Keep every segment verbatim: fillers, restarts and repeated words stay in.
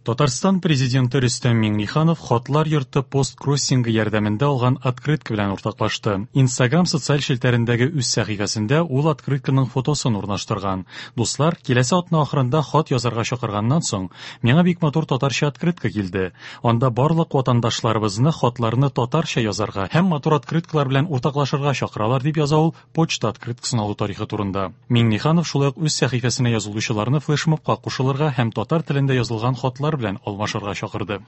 Татарстан президенты Рөстәм Миңнеханов Хатлар йорты посткроссингы ярдәмендә алган открытка белән уртаклашты. Инстаграм социаль челтәрендәге үз сәхифәсендә ул открытканың фотосын урнаштырган. Дуслар, киләсе атна ахырында хат язарга чакырганнан соң, миңа бик матур татарча открытка килде. Анда барлык ватандашларыбызны хатларны татарча язарга һәм матур открыткалар белән уртаклашырга чакыралар, дип яза ул почта открыткасын алу тарихы турында. Миңнеханов шулай ук үз сәхифәсенә язылучыларны флешмобка кушылырга һәм татар телендә язылган хатлар белән алмашырга чакырды.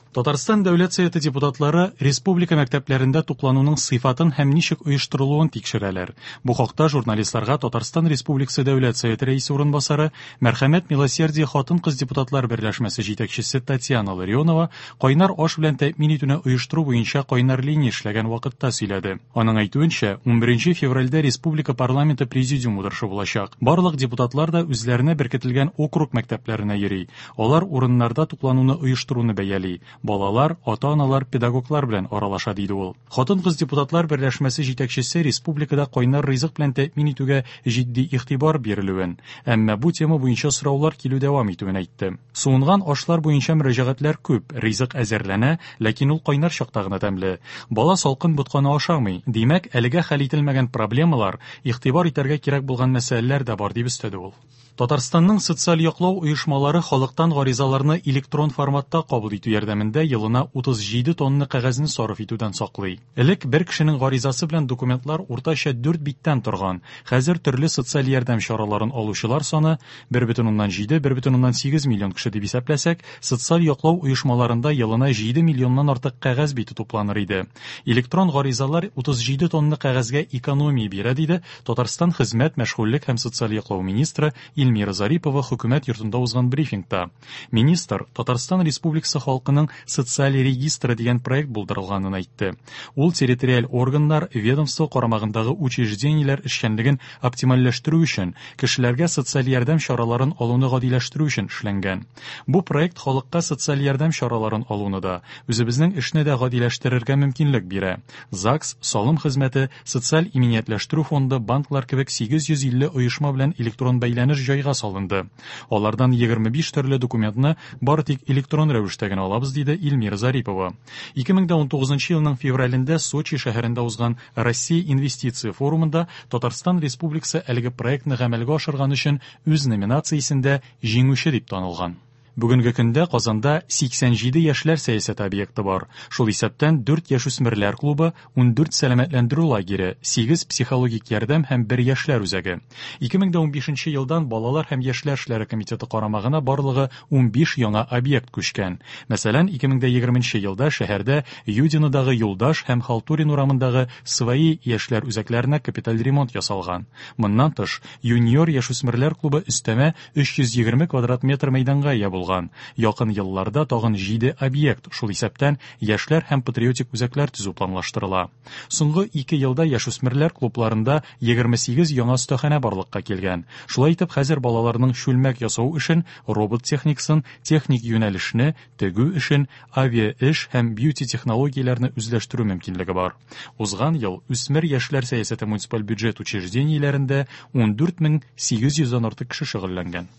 Татарстан Дәүләт Советы депутатлары республика мәктәпләрендә туклануның сыйфатын һәм ничек оештырылуын тикшерәләр. Бу хакта журналистларга Татарстан Республикасы Дәүләт Советы рәисе урынбасары, Мәрхәмәт Милосердие хатын-кыз депутатлар берләшмәсе җитәкчесе Татьяна Ларионова кайнар аш белән тәэмин итүне оештыру буенча кайнар линия эшләгән вакытта сөйләде. Аның әйтүенчә, унберенче февральдә республика парламенты президиум утырышы булачак. Барлык депутатлар да үзләренә беркетелгән округ мәктәпләренә йөри. Алар урыннарда туклануны оештыруны бәяли. Балалар, ата-аналар, педагоглар белән аралаша, диде ул. Хатын-кыз депутатлар берләшмәсе җитәкчесе республикада кайнар ризык белән тәэмин итүгә җитди игътибар бирелүен, әмма бу тема буенча сораулар килү дәвам итүен әйтте. Суынган ашлар буенча мөрәҗәгатьләр күп, ризык әзерләнә, ләкин ул кайнар чакта гына тәмле. Бала салкын ботканы ашамый. Димәк, әлегә хәл ителмәгән проблемалар, игътибар итәргә кирәк булган мәсьәләләр дә бар, дип өстәде ул. Татарстанның социаль яклау оешмалары халыктан гаризаларны электрон форматта кабул итү ярдәмендә елына утыз җиде тонна кәгазьне сарыф итүдән саклый. Элек бер кешенең гаризасы белән документлар уртача дүрт биттән торган. Хәзер төрле социаль ярдәм чараларын алучылар саны бер бөтен уннан җиде, бер бөтен уннан сигез миллион кеше дип исәпләсәк, социаль яклау оешмаларында елына җиде миллионнан артык кәгазь бите тупланыр иде. Электрон гаризалар утыз җиде тонна кәгазьгә экономия бирә, диде Татарстан хезмәт, мәшгульлек һәм социаль яклау министры Эльмира Зарипова хөкүмәт йортында узган брифингта. Министр Татарстан Республикасы халкының социаль регистры дигән проект булдырылганын әйтте. Ул территориаль органнар, ведомство карамагындагы учреждениеләр эшчәнлеген оптимальләштерү өчен, кешеләргә социаль ярдәм чараларын алуны гадиләштерү өчен эшләнгән. Бу проект халыкка социаль ярдәм чараларын алуны да, үзебезнең эшне дә гадиләштерергә мөмкинлек бирә. ЗАГС, салым хезмәте, социаль иминиятләштерү фонды, банклар кебек сигез йөз илле оешма белән электрон бәйләнеш җайга салынды. Алардан егерме биш төрле документны бары тик электрон рәвештә генә алабыз, диде Эльмира Зарипова. Ике мең дә унтугызынчы елның февралендә Сочи шәһәрендә узган Россия инвестиция форумында Татарстан Республикасы әлеге проектны гамәлгә ашырган өчен үз номинациясендә җиңүче дип танылган. Бүгенге көндә Казанда сиксән җиде яшьләр сәясәте объекты бар. Шул исәптән дүрт яшүсмерләр клубы, ундүрт сәламәтләндерү лагере, сигез психологик ярдәм һәм бер яшьләр үзәге. Ике мең дә унбишенче елдан Балалар һәм яшьләр эшләре комитеты карамагына барлыгы унбиш яңа объект күчкән. Мәсәлән, ике мең дә егерменче елда шәһәрдә Юдинодагы Юлдаш һәм Халтурин урамындагы Свои яшьләр үзәкләренә капиталь ремонт ясалган. Моннан тыш, Юниор яшүсмерләр клубы өстәмә өч йөз егерме квадрат метр мәйданга ия булган. Якын елларда тагын җиде объект, шул исәптән яшьләр һәм патриотик үзәкләр төзү планлаштырыла. Соңгы ике елда яшүсмерләр клубларында егерме сигез яңа остаханә барлыкка килгән. Шулай итеп, хәзер балаларның чүлмәк ясау эшен, робот техникасын, техник юнәлешне, тегү эшен, авиа эш һәм бьюти технологияләрне үзләштерү мөмкинлеге бар. Узган ел үсмер яшьләр сәясәте муниципаль бюджет учреждениеләрендә ундүрт мең сигез йөздән артык кеше шөгыльләнгән.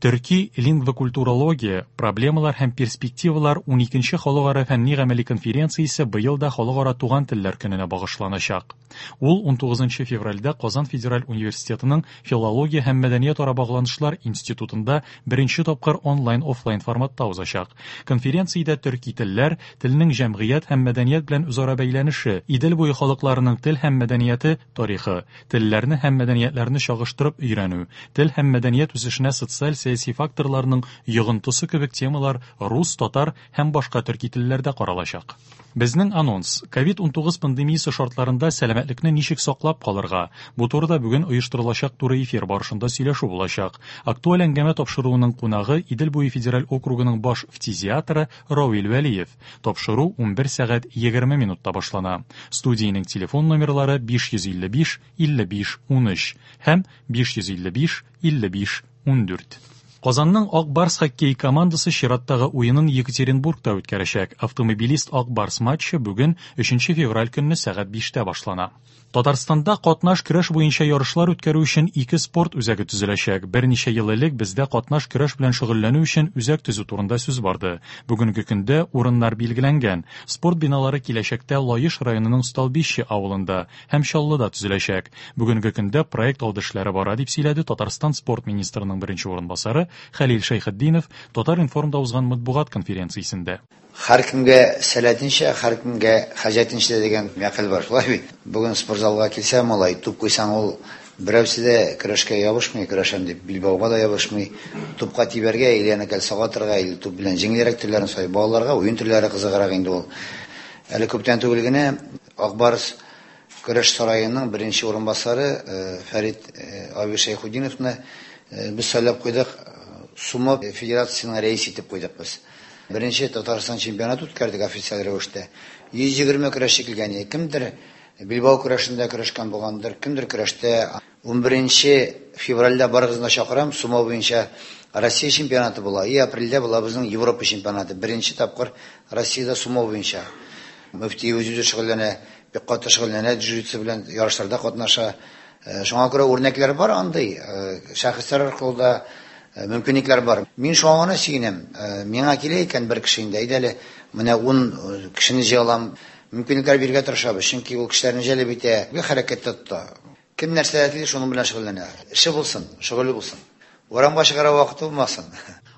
Төрки лингвокультурология, проблемалар һәм перспективалар уникенче халыкара фәнни гамәли конференциясе быел да халыкара туган телләр көненә багышланачак. Ул унтугызынчы февральдә Казан федераль университетының Филология һәм мәдәният ара багланышлар институтында беренче тапкыр онлайн-офлайн форматта узачак. Конференциядә төрки телләр, телнең җәмгыять һәм мәдәният белән үзара бәйләнеше, Идел буе халыкларының тел һәм мәдәнияте тарихы, телләрне һәм мәдәниятләрне чагыштырып өйрәнү, тел һәм мәдәният үсешенә социаль сәяси факторларның йогынтысы кебек темалар рус, татар һәм башка төрки телләрдә каралачак. Безнең анонс. ковид унтугыз пандемиясе шартларында сәламәтлекне ничек саклап калырга? Бу турыда бүген оештырылачак туры эфир барышында сөйләшү булачак. Актуаль әңгәмә тапшыруының кунагы Идел буе федераль округының баш фтизиаторы Равил Вәлиев. Тапшыру унбер сәгать егерме минутта башлана. Студиянең телефон номерлары биш йөз илле биш, илле биш, унөч һәм биш йөз илле биш, илле биш, ундүрт. Казанның Ак Барс хоккей командасы чираттагы уенын Екатеринбургта үткәрәчәк. Автомобилист Ак Барс матчы бүген өченче февраль көнне сәгать биштә башлана. Татарстанда катнаш көрәш буенча ярышлар үткәрү өчен ике спорт үзәге төзеләчәк. Берничә ел элек бездә катнаш көрәш белән шөгыльләнү өчен үзәк төзү турында сүз барды. Бүгенге көндә урыннар билгеләнгән. Спорт биналары киләчәктә Лаеш районының Столбище авылында һәм Чаллыда төзеләчәк. Бүгенге көндә проект алды эшләре бара, дип сөйләде Татарстан спорт министрының беренче урынбасары Хәлил Шәйхетдинов Татар-информда узган матбугат конференциясендә. Һәркемгә сәләтенчә, һәркемгә хаҗәтенчә дигән мәкаль бар, шулай бит. Бүген спортзалга килсә, малай, туп куйсаң, ул берәүсе дә көрәшкә ябышмый, көрәшәм дип билбауга да ябышмый. Тупка тибәргә, или аны кәлсәгә атырга, или туп белән җиңелрәк төрләрен сай. Балаларга уен төрләре кызыграк инде ул. Әле күптән түгел генә Ак Барс көрәш сараеның беренче урынбасары, э, Фәрит, э, абый Шәйхетдиновны, э, без сайлап куйдык, Сумо федерациясенең рәисе итеп куйдык без. Беренче Татарстан чемпионаты үткәрдек официаль рәвештә. Йөз егерме көрәшче килгән иде. Кемдер билбау көрәшендә көрәшкән булгандыр, кемдер көрәштә. Ун беренче февральдә барыгызны да чакырам, сумо буенча Россия чемпионаты була. И апрельдә була безнең Европа чемпионаты. Беренче тапкыр Россиядә сумо буенча. Мөфти үзе шөгыльләнә, бик каты шөгыльләнә, джиу-джитсу белән ярышларда катнаша. Э, шуңа күрә үрнәкләр бар андый, э, шәхесләр аркылы да, э, мөмкинлекләр бар. Мин шуңа гына сөенәм. Э, миңа килә икән бер кеше инде, әйдә әле, менә ун, э, кешене җыя алам. Мөмкинлекләр бирергә тырышабыз, чөнки ул кешеләрне җәлеп итә, бер хәрәкәттә тота. Кем нәрсә тели, шуның белән шөгыльләнә. Эше булсын, шөгыле булсын. Урамга чыгара вакыты булмасын.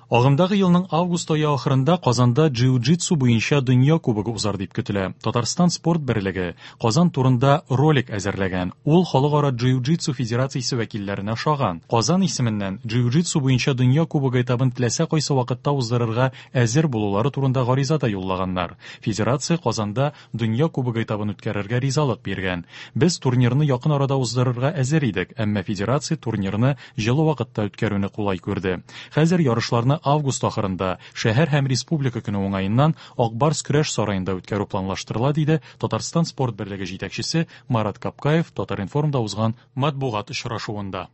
Агымдагы елның август ае ахырында Казанда джиу-джитсу буенча дөнья кубогы узар дип көтелә. Татарстан спорт берлеге Казан турында ролик әзерләгән. Ул Халыкара джиу-джитсу федерациясе вәкилләренә ошаган. Казан исеменнән джиу-джитсу буенча дөнья кубогы этабын теләсә кайсы вакытта уздырырга әзер булулары турында гариза да юллаганнар. Федерация Казанда дөнья кубогы этабын үткәрергә ризалык биргән. Без турнирны якын арада уздырырга әзер идек, әмма федерация турнирны җылы вакытта үткәрүне кулай күрде. Хәзер ярышларны август ахырында шәһәр һәм республика көне уңаеннан Ак Барс көрәш сараенда үткәрү планлаштырыла, диде Татарстан спорт берлеге җитәкчесе Марат Капкаев Татар-информда узган матбугат очрашуында.